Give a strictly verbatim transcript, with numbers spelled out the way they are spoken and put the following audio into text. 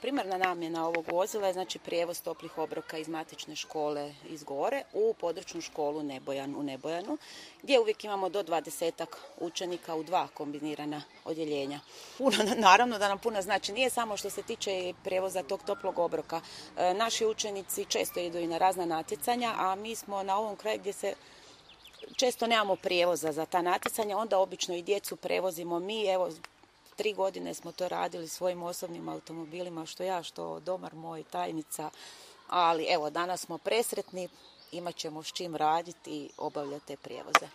Primarna namjena ovog vozila je znači prijevoz toplih obroka iz matične škole iz Gore u područnu školu Nebojan u Nebojanu, gdje uvijek imamo do dvadesetak učenika u dva kombinirana odjeljenja. Puno, naravno da nam puno znači, nije samo što se tiče prijevoza tog toplog obroka. E, naši učenici često idu i na razna natjecanja, a mi smo na ovom kraju gdje se često nemamo prijevoza za ta natjecanja, onda obično i djecu prevozimo mi, evo, Tri godine smo to radili svojim osobnim automobilima, što ja, što domar moj, tajnica, ali evo danas smo presretni, imat ćemo s čim raditi i obavljati te prijevoze.